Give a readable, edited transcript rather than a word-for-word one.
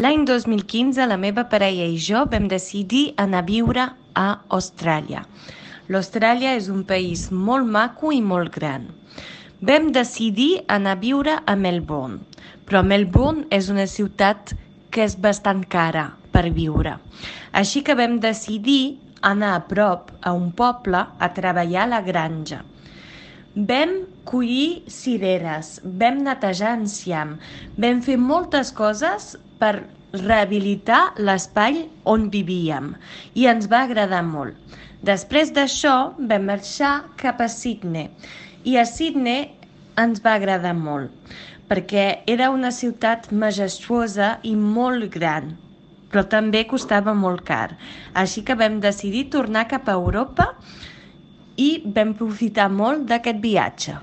L'any 2015 la meva parella i jo vam decidir anar a viure a Austràlia. L'Austràlia és un país molt maco i molt gran. Vam decidir anar a viure a Melbourne, però Melbourne és una ciutat que és bastant cara per viure. Així que vam decidir anar a prop, a un poble, a treballar a la granja. Vam collir cireres, vam netejar enciam, vam fer moltes coses per rehabilitar l'espai on vivíem i ens va agradar molt. Després d'això vam marxar cap a Sydney i a Sydney ens va agradar molt perquè era una ciutat majestuosa i molt gran, però també costava molt car. Així que vam decidir tornar cap a Europa i vam profitar molt d'aquest viatge.